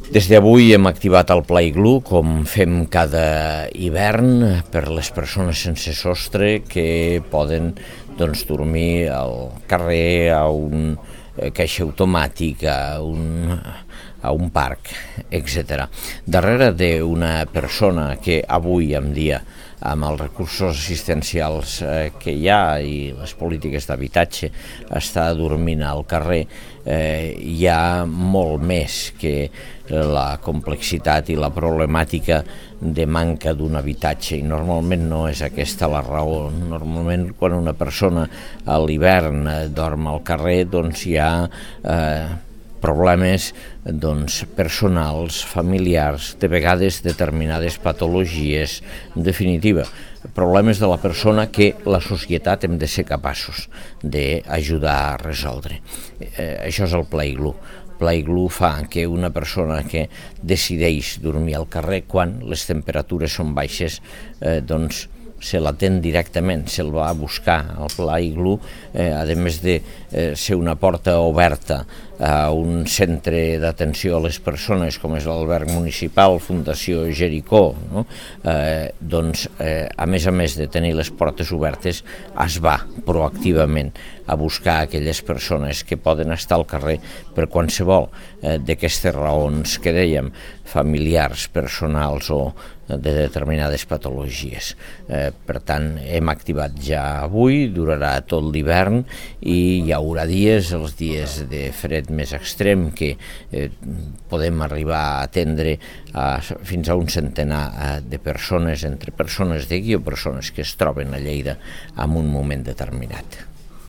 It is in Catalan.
Des d'avui hem activat el Pla Iglú, com fem cada hivern, per les persones sense sostre que poden dormir al carrer, a un caixer automàtic, a un parc, etc. Darrere d'una persona que avui en dia, amb els recursos assistencials que hi ha i les polítiques d'habitatge, està dormint al carrer, hi ha molt més que la complexitat i la problemàtica de manca d'un habitatge, i normalment no és aquesta la raó. Normalment quan una persona a l'hivern dorm al carrer, hi ha problemes personals, familiars, de vegades determinades patologies, en definitiva, problemes de la persona que la societat hem de ser capaços d'ajudar a resoldre. Això és el Pla Iglú. El Pla Iglú fa que una persona que decideix dormir al carrer quan les temperatures són baixes, se l'atén directament, se'l va a buscar. El Pla Iglú, a més de ser una porta oberta a un centre d'atenció a les persones com és l'alberg municipal, Fundació Jericó, no? A més de tenir les portes obertes, es va proactivament a buscar aquelles persones que poden estar al carrer per qualsevol d'aquestes raons que dèiem, familiars, personals o de determinades patologies. Per tant, hem activat ja avui, durarà tot l'hivern i hi haurà dies, els dies de fred més extrem, que podem arribar a atendre fins a un centenar de persones, entre persones d'aquí o persones que es troben a Lleida en un moment determinat.